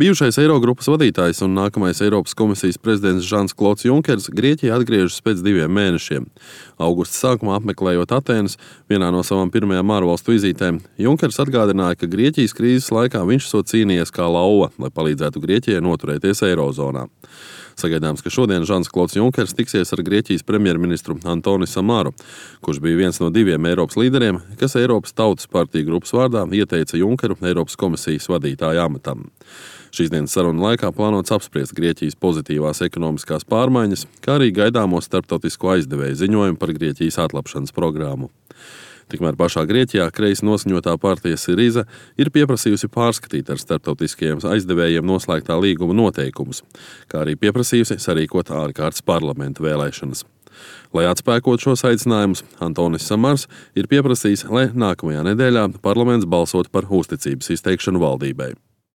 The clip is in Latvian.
Bijušais Eirogrupas vadītājs un nākamais Eiropas komisijas prezidents Žans-Klods Junkers Grieķijā atgriežas pēc 2 mēnešiem. Augusta sākumā apmeklējot Atēnas, vienā no savām pirmajām ārvalstu vizītēm, Junkers atgādināja, ka Grieķijas krīzes laikā viņš esot cīnījies kā lauva, lai palīdzētu Grieķijai noturēties Eirozonā. Sagaidāms, ka šodien Žans-Klods Junkers tiksies ar Grieķijas premjerministru Antoni Samaru, kurš bija viens no 2 Eiropas līderiem, kas Eiropas Tautas partiju grupas vārdā ieteica Junkeru Eiropas komisijas vadītāja amatam. Šīs dienas sarunu laikā plānots apspriest Grieķijas pozitīvās ekonomiskās pārmaiņas, kā arī gaidāmo starptautisko aizdevēju ziņojumu par Grieķijas atlapšanas programmu. Tikmēr pašā Grieķijā kreisi noskaņotā partija Siriza ir pieprasījusi pārskatīt ar starptautiskajiem aizdevējiem noslēgtā līguma noteikumus, kā arī pieprasījusi sarīkot ārkārtas parlamenta vēlēšanas. Lai atspēkot šos aicinājumus, Antonis Samars ir pieprasījis, lai nākamajā nedēļā parlaments balsot par uzticības izteikšanu valdībai.